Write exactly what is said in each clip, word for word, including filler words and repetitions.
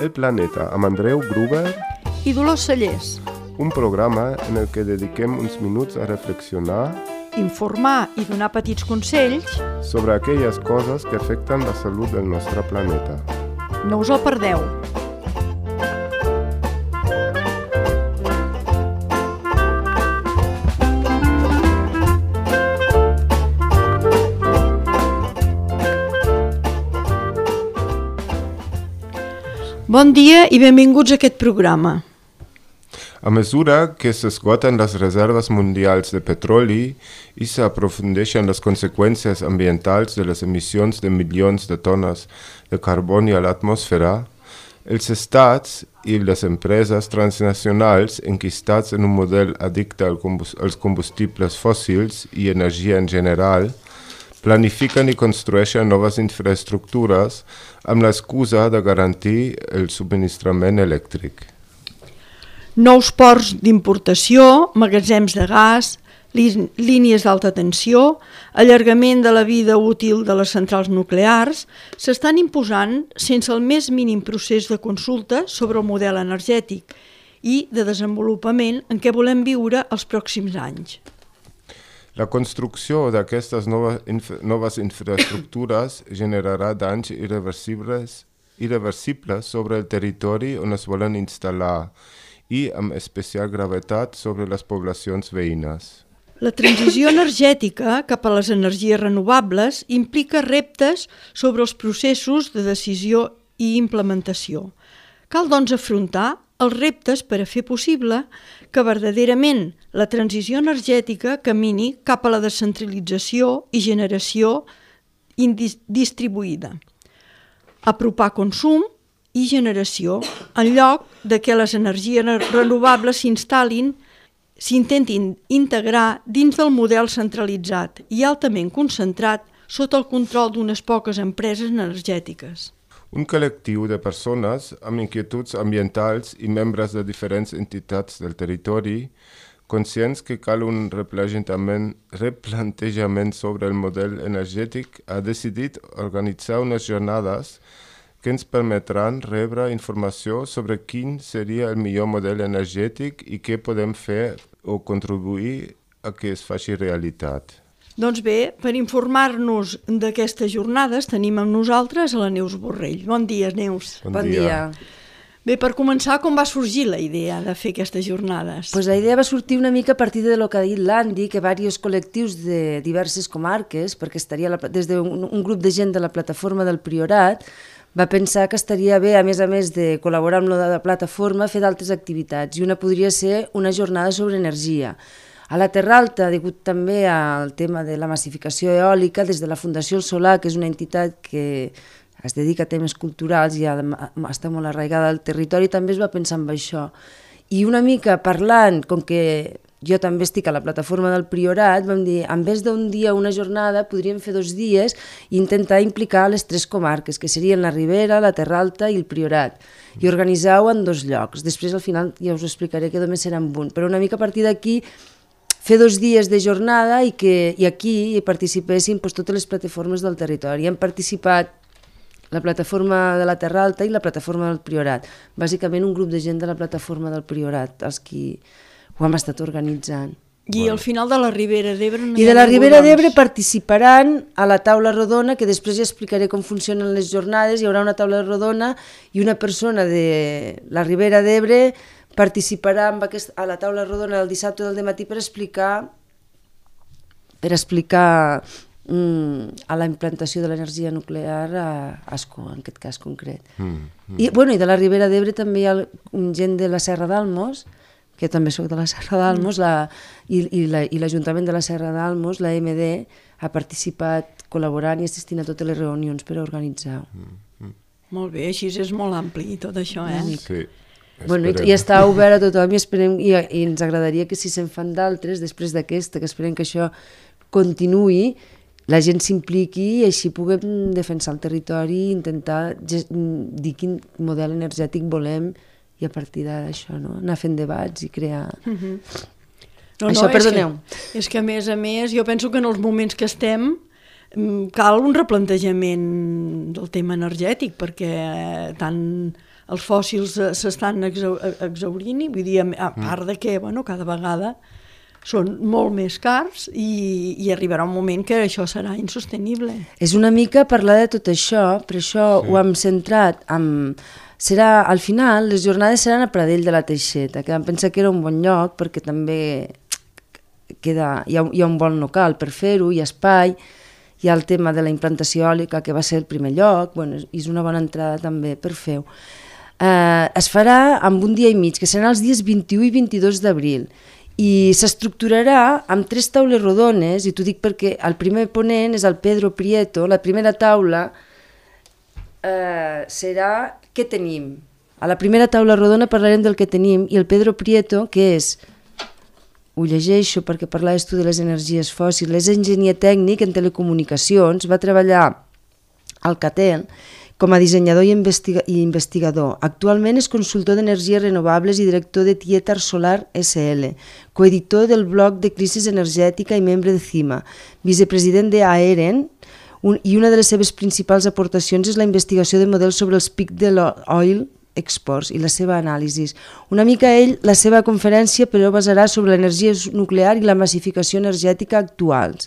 El Planeta amb Andreu Gruber i Dolors Cellers. Un programa en el que dediquem uns minuts a reflexionar, informar i donar petits consells sobre aquelles coses que afecten la salut del nostre planeta. No us el perdeu. Bon dia i benvinguts a aquest programa. A mesura que s'esgoten les reserves mundials de petroli i s'aprofundeixen les conseqüències ambientals de les emissions de milions de tones de carboni a l'atmosfera, els estats i les empreses transnacionals enquistats en un model addicte als combustibles fòssils i energia en general planifiquen i construeixen noves infraestructures amb l'excusa de garantir el subministrament elèctric. Nous ports d'importació, magatzems de gas, línies d'alta tensió, allargament de la vida útil de les centrals nuclears s'estan imposant sense el més mínim procés de consulta sobre el model energètic i de desenvolupament en què volem viure els pròxims anys. La construcció d'aquestes noves, inf noves infraestructures generarà danys irreversibles, irreversibles sobre el territori on es volen instal·lar i amb especial gravetat sobre les poblacions veïnes. La transició energètica cap a les energies renovables implica reptes sobre els processos de decisió i implementació. Cal, doncs, afrontar els reptes per a fer possible que verdaderament la transició energètica camini cap a la descentralització i generació distribuïda. Apropar consum i generació en lloc de que les energies renovables s'instal·lin, s'intentin integrar dins del model centralitzat i altament concentrat sota el control d'unes poques empreses energètiques. Un col·lectiu de persones amb inquietuds ambientals i membres de diferents entitats del territori, conscients que cal un replantejament, replantejament sobre el model energètic, ha decidit organitzar unes jornades que ens permetran rebre informació sobre quin seria el millor model energètic i què podem fer o contribuir a que es faci realitat. Doncs bé, per informar-nos d'aquestes jornades tenim amb nosaltres a la Neus Borrell. Bon dia, Neus. Bon, bon dia. dia. Bé, per començar, com va sorgir la idea de fer aquestes jornades? Pues la idea va sortir una mica a partir de lo que ha dit l'Andy, que diversos col·lectius de diverses comarques, perquè estaria la, des d'un un grup de gent de la plataforma del Priorat, va pensar que estaria bé, a més a més de col·laborar amb la plataforma, fer d'altres activitats, i una podria ser una jornada sobre energia. A la Terra Alta, degut també al tema de la massificació eòlica, des de la Fundació El Solar, que és una entitat que es dedica a temes culturals i està molt arraigada al territori, també es va pensar en això. I una mica parlant, com que jo també estic a la plataforma del Priorat, vam dir, en vez d'un dia o una jornada, podríem fer dos dies i intentar implicar les tres comarques, que serien la Ribera, la Terra Alta i el Priorat, i organitzar-ho en dos llocs. Després, al final, ja us explicaré que només serà en un, però una mica a partir d'aquí fer dos dies de jornada i que i aquí hi participessin doncs, totes les plataformes del territori. Han participat la plataforma de la Terra Alta i la plataforma del Priorat. Bàsicament un grup de gent de la plataforma del Priorat, els qui ho hem estat organitzant. I al final de la Ribera d'Ebre... No I de la Ribera d'Ebre participaran a la taula rodona, que després ja explicaré com funcionen les jornades. Hi haurà una taula rodona i una persona de la Ribera d'Ebre participarà amb aquest, a la taula rodona del dissabte del dematí per explicar per explicar mm, a la implantació de l'energia nuclear a Ascó, en aquest cas concret. Mm, mm. I, bueno, I de la Ribera d'Ebre també hi ha gent de la Serra d'Almos, que també soc de la Serra d'Almos, mm. i, i, la, i l'Ajuntament de la Serra d'Almos, la M D, ha participat col·laborant i assistint a totes les reunions per organitzar. Mm, mm. Molt bé, així és molt ampli tot això, eh? Sí. Bueno, i, i està obert a tothom i, esperem, i, i ens agradaria que si se'n fan d'altres, després d'aquesta, que esperem que això continuï, la gent s'impliqui i així puguem defensar el territori i intentar dir quin model energètic volem i a partir d'això no? Anar fent debats i crear... Uh-huh. No, això, no, perdoneu. És que, és que a més a més jo penso que en els moments que estem cal un replantejament del tema energètic perquè tant els fòssils eh, s'estan exau exaurint, vull dir, a part de que bueno, cada vegada són molt més cars i, i arribarà un moment que això serà insostenible. És una mica parlar de tot això, per això sí. ho hem centrat en... Serà, al final, les jornades seran a Pradell de la Teixeta, que vam pensar que era un bon lloc perquè també queda, hi, ha, hi ha un bon local per fer-ho, hi ha espai, hi ha el tema de la implantació eòlica, que va ser el primer lloc, bueno, és una bona entrada també per fer-ho. Eh, es farà amb un dia i mig, que seran els dies vint-i-u i vint-i-dos d'abril, i s'estructurarà amb tres taules rodones, i t'ho dic perquè el primer ponent és el Pedro Prieto, la primera taula eh, serà què tenim. A la primera taula rodona parlarem del que tenim, i el Pedro Prieto, que és, ho llegeixo perquè parlaves tu de les energies fòssils, és enginyer tècnic en telecomunicacions, va treballar al Catel com a dissenyador i, investiga i investigador. Actualment és consultor d'energies renovables i director de Tietar Solar S L, coeditor del blog de Crisis Energètica i membre de CIMA, vicepresident d'Aeren, un, i una de les seves principals aportacions és la investigació de models sobre els pics de l'oil exports i la seva anàlisi. Una mica ell, la seva conferència, però basarà sobre l'energia nuclear i la massificació energètica actuals.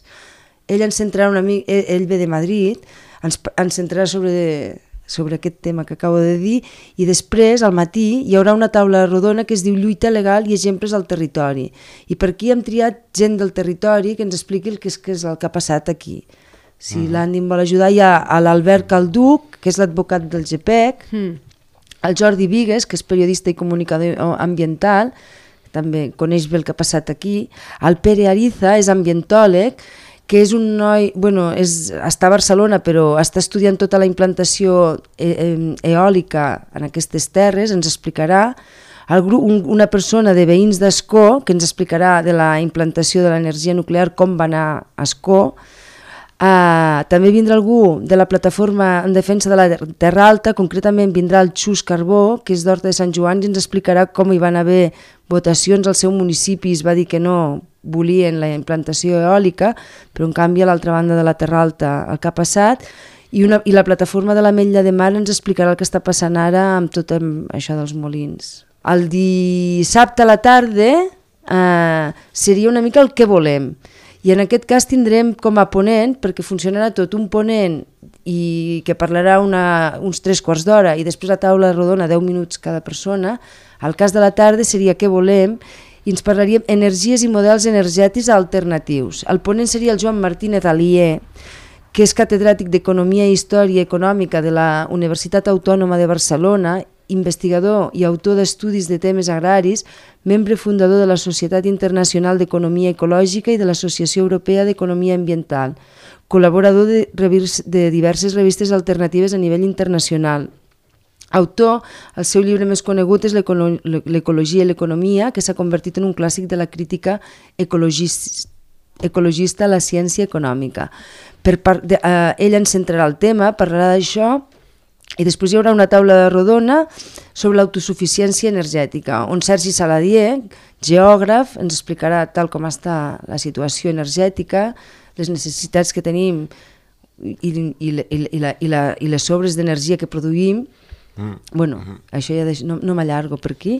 Ell ens centrarà una mica, ell, ell ve de Madrid, ens, ens centrarà sobre, sobre aquest tema que acabo de dir, i després, al matí, hi haurà una taula rodona que es diu Lluita legal i exemples al territori. I per aquí hem triat gent del territori que ens expliqui el que és, que és el que ha passat aquí. Si mm. l'Andy em vol ajudar, hi ha l'Albert Calduc, que és l'advocat del G P E C, mm. el Jordi Vigues, que és periodista i comunicador ambiental, que també coneix bé el que ha passat aquí, el Pere Ariza, és ambientòleg, que és un noi, bueno, és, està a Barcelona però està estudiant tota la implantació e e eòlica en aquestes terres, ens explicarà, el grup, un, una persona de veïns d'Ascó que ens explicarà de la implantació de l'energia nuclear, com va anar a Ascó. Uh, també vindrà algú de la plataforma en defensa de la Terra Alta, concretament vindrà el Xus Carbó, que és d'Horta de Sant Joan, i ens explicarà com hi van haver votacions al seu municipi, es va dir que no volien la implantació eòlica, però en canvi a l'altra banda de la Terra Alta el que ha passat, i, una, i la plataforma de l'Ametlla de Mar ens explicarà el que està passant ara amb tot això dels molins. El dissabte a la tarda eh, seria una mica el que volem, i en aquest cas tindrem com a ponent, perquè funcionarà tot, un ponent i que parlarà una, uns tres quarts d'hora i després la taula rodona deu minuts cada persona. El cas de la tarda seria què volem, i ens parlaríem energies i models energètics alternatius. El ponent seria el Joan Martínez Alier, que és catedràtic d'Economia i Història Econòmica de la Universitat Autònoma de Barcelona, investigador i autor d'estudis de temes agraris, membre fundador de la Societat Internacional d'Economia Ecològica i de l'Associació Europea d'Economia Ambiental, col·laborador de, de diverses revistes alternatives a nivell internacional. Autor, el seu llibre més conegut és L'Ecologia i l'Economia, que s'ha convertit en un clàssic de la crítica ecologista, ecologista a la ciència econòmica. Per part de, eh, ell ens centrarà el tema, parlarà d'això, i després hi haurà una taula rodona sobre l'autosuficiència energètica, on Sergi Saladier, geògraf, ens explicarà tal com està la situació energètica, les necessitats que tenim i, i, i, i, la, i, la, i les sobres d'energia que produïm. Mm. Bueno, mm-hmm. això ja deix... no, no m'allargo per aquí.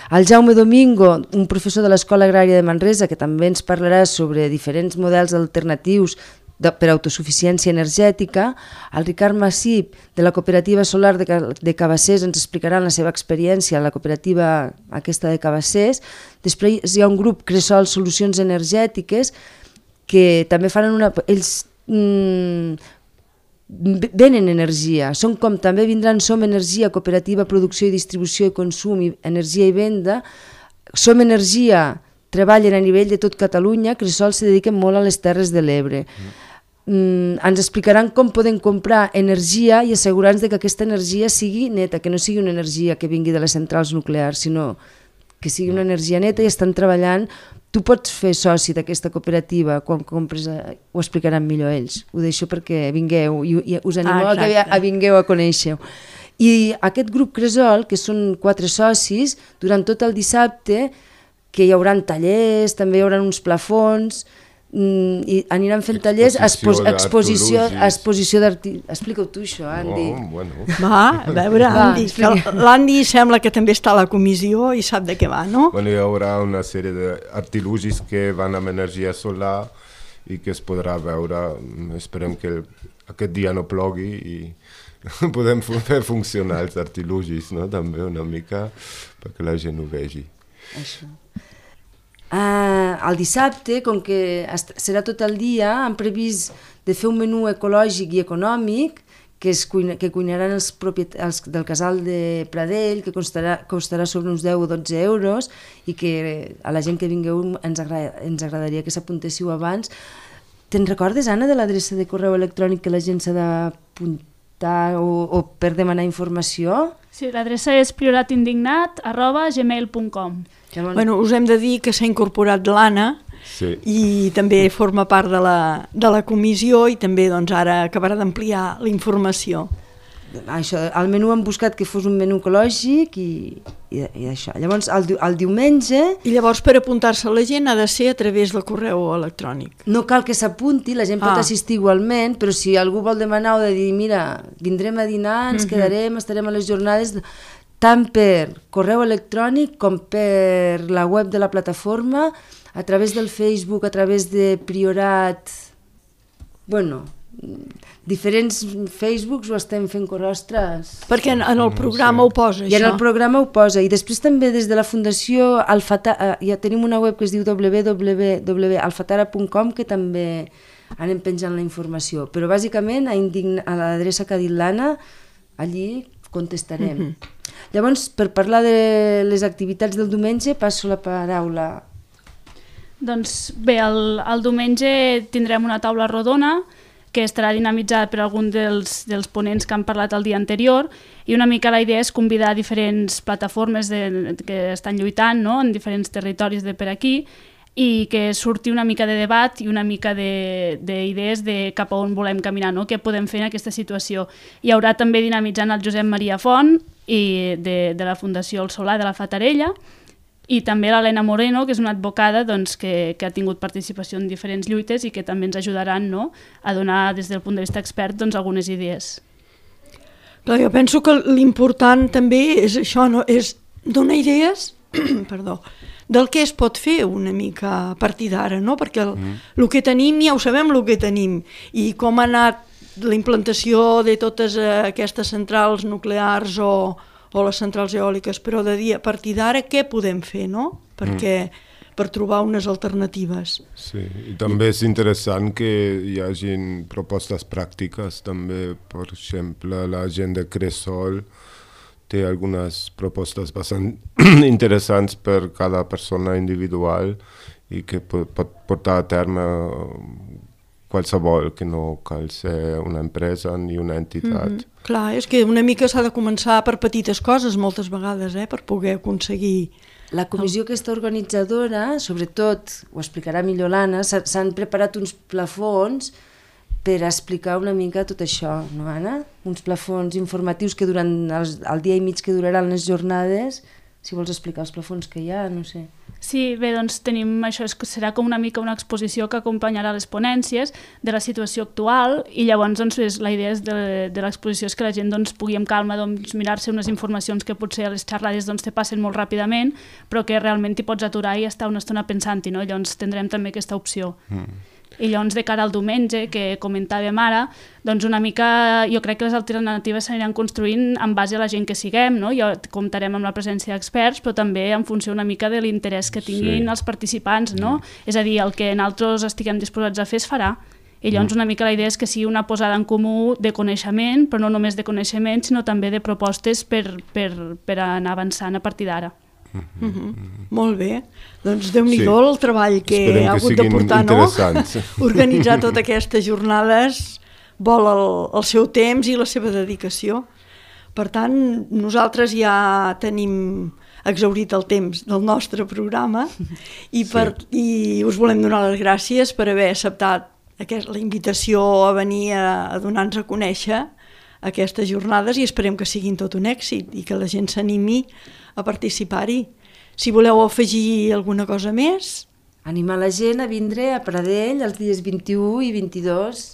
El Jaume Domingo, un professor de l'Escola Agrària de Manresa, que també ens parlarà sobre diferents models alternatius de, per autosuficiència energètica. El Ricard Massip, de la cooperativa solar de, de Cabassers, ens explicarà la seva experiència a la cooperativa aquesta de Cabassers. Després hi ha un grup, Cresol Solucions Energètiques, que també faran una... Ells... Mm, venen energia, són com també vindran Som Energia, cooperativa, producció i distribució i consum, i energia i venda. Som Energia treballen a nivell de tot Catalunya, Cresol se dediquen molt a les Terres de l'Ebre. Mm. Mm, ens explicaran com podem comprar energia i assegurar-nos que aquesta energia sigui neta, que no sigui una energia que vingui de les centrals nuclears, sinó que sigui una energia neta, i estan treballant. Tu pots fer soci d'aquesta cooperativa quan compres, ho explicaran millor ells, ho deixo perquè vingueu i, i us animo ah, a que a vingueu a conèixer-ho. I aquest grup Cresol, que són quatre socis, durant tot el dissabte, que hi haurà tallers, també hi haurà uns plafons i aniran fent tallers, exposició, exposició, exposició d'artilugis. Explica-ho tu, això, Andy. Oh, bueno. Va, a veure, Andy, que l'Andy sembla que també està a la comissió i sap de què va, no? Bueno, hi haurà una sèrie d'artilugis que van amb energia solar i que es podrà veure. Esperem que aquest dia no plogui i podem fer funcionar els artilugis, no? També una mica perquè la gent ho vegi. Això. Uh, el dissabte, com que serà tot el dia, han previst de fer un menú ecològic i econòmic que, es cuina, que cuinaran els, els del casal de Pradell, que costarà, costarà sobre uns deu o dotze euros i que a la gent que vingueu ens, agrada, ens agradaria que s'apuntéssiu abans. Te'n recordes, Anna, de l'adreça de correu electrònic que la gent s'ha d'apuntar o, o per demanar informació? Sí, l'adreça és prioratindignat arroba gmail punt com. Llavors... Bueno, us hem de dir que s'ha incorporat l'Anna sí. i també forma part de la, de la comissió i també doncs, ara acabarà d'ampliar la informació. Això, el menú hem buscat que fos un menú ecològic i, i, i això. Llavors, el, el diumenge... I llavors per apuntar-se la gent ha de ser a través del correu electrònic. No cal que s'apunti, la gent pot ah. assistir igualment, però si algú vol demanar o de dir, mira, vindrem a dinar, ens mm-hmm. quedarem, estarem a les jornades... tant per correu electrònic com per la web de la plataforma, a través del Facebook, a través de Priorat, bueno, diferents Facebooks ho estem fent corrostres. Perquè en, en el programa ho posa, això. I en el programa ho posa, i després també des de la Fundació Alfatara, ja tenim una web que es diu w w w punt alfatara punt com que també anem penjant la informació, però bàsicament a, a l'adreça que ha dit l'Anna, allí contestarem. Mm-hmm. Llavors, per parlar de les activitats del diumenge, passo la paraula. Doncs bé, el, el diumenge tindrem una taula rodona que estarà dinamitzada per algun dels, dels ponents que han parlat el dia anterior i una mica la idea és convidar diferents plataformes de, que estan lluitant, no?, en diferents territoris de per aquí i que surti una mica de debat i una mica d'idees de, de cap a on volem caminar, no?, què podem fer en aquesta situació. Hi haurà també dinamitzant el Josep Maria Font i de, de la Fundació El Solà de la Fatarella i també l'Helena Moreno, que és una advocada doncs, que, que ha tingut participació en diferents lluites i que també ens ajudaran, no?, a donar des del punt de vista expert doncs, algunes idees. Clar, jo penso que l'important també és això, no?, és donar idees perdó, del que es pot fer una mica a partir d'ara, no? Perquè el, mm. el que tenim ja ho sabem el que tenim i com ha anat la implantació de totes aquestes centrals nuclears o, o les centrals eòliques, però de dir a partir d'ara què podem fer, no? Perquè mm. per trobar unes alternatives. Sí, i també és interessant que hi hagin propostes pràctiques, també, per exemple, la gent de Cresol té algunes propostes bastant interessants per cada persona individual i que pot, pot portar a terme qualsevol, que no cal ser una empresa ni una entitat. Mm-hmm. Clar, és que una mica s'ha de començar per petites coses moltes vegades, eh, per poder aconseguir... La comissió aquesta organitzadora, sobretot, ho explicarà millor l'Anna, s'han preparat uns plafons per explicar una mica tot això, no, Anna? Uns plafons informatius que durant els, el dia i mig que duraran les jornades, si vols explicar els plafons que hi ha, no sé. Sí, bé, doncs tenim això, serà com una mica una exposició que acompanyarà les ponències de la situació actual i llavors doncs, és, la idea és de, de l'exposició és que la gent doncs, pugui amb calma doncs, mirar-se unes informacions que potser a les xerrades doncs, te passen molt ràpidament però que realment t'hi pots aturar i estar una estona pensant-hi, no? Llavors tindrem també aquesta opció. Mm. I llavors de cara al diumenge, que comentàvem ara, doncs una mica jo crec que les alternatives s'aniran construint en base a la gent que siguem, no? Jo comptarem amb la presència d'experts, però també en funció una mica de l'interès que tinguin sí. els participants, no? Mm. És a dir, el que nosaltres estiguem disposats a fer es farà. I llavors una mica la idea és que sigui una posada en comú de coneixement, però no només de coneixement, sinó també de propostes per, per, per anar avançant a partir d'ara. Mm-hmm. Mm-hmm. Molt bé, doncs Déu-n'hi-do sí. el treball que Esperem ha hagut de portar, no? Organitzar totes aquestes jornades vol el, el seu temps i la seva dedicació. Per tant, nosaltres ja tenim exhaurit el temps del nostre programa i, per, sí. i us volem donar les gràcies per haver acceptat aquest, la invitació a venir a, a donar-nos a conèixer aquestes jornades i esperem que siguin tot un èxit i que la gent s'animi a participar-hi. Si voleu afegir alguna cosa més... animar la gent a vindre a Pradell els dies vint-i-u i vint-i-dos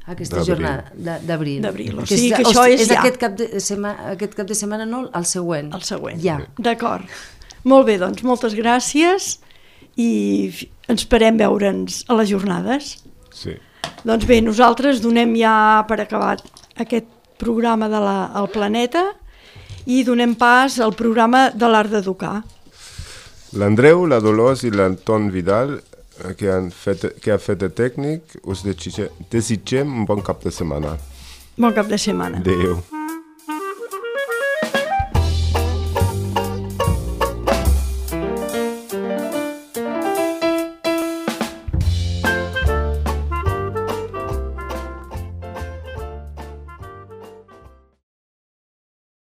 a aquesta jornada d'abril. D'abril, o sigui que això és ja. Aquest cap de setmana, aquest cap de setmana no, el següent. El següent, ja. D'acord. Molt bé, doncs, moltes gràcies i ens esperem veure'ns a les jornades. Sí. Doncs bé, nosaltres donem ja per acabat aquest programa de la, el Planeta i donem pas al programa de l'Art d'Educar. L'Andreu, la Dolors i l'Anton Vidal, que, han fet, que ha fet de tècnic, us desitgem un bon cap de setmana. Bon cap de setmana. Adéu.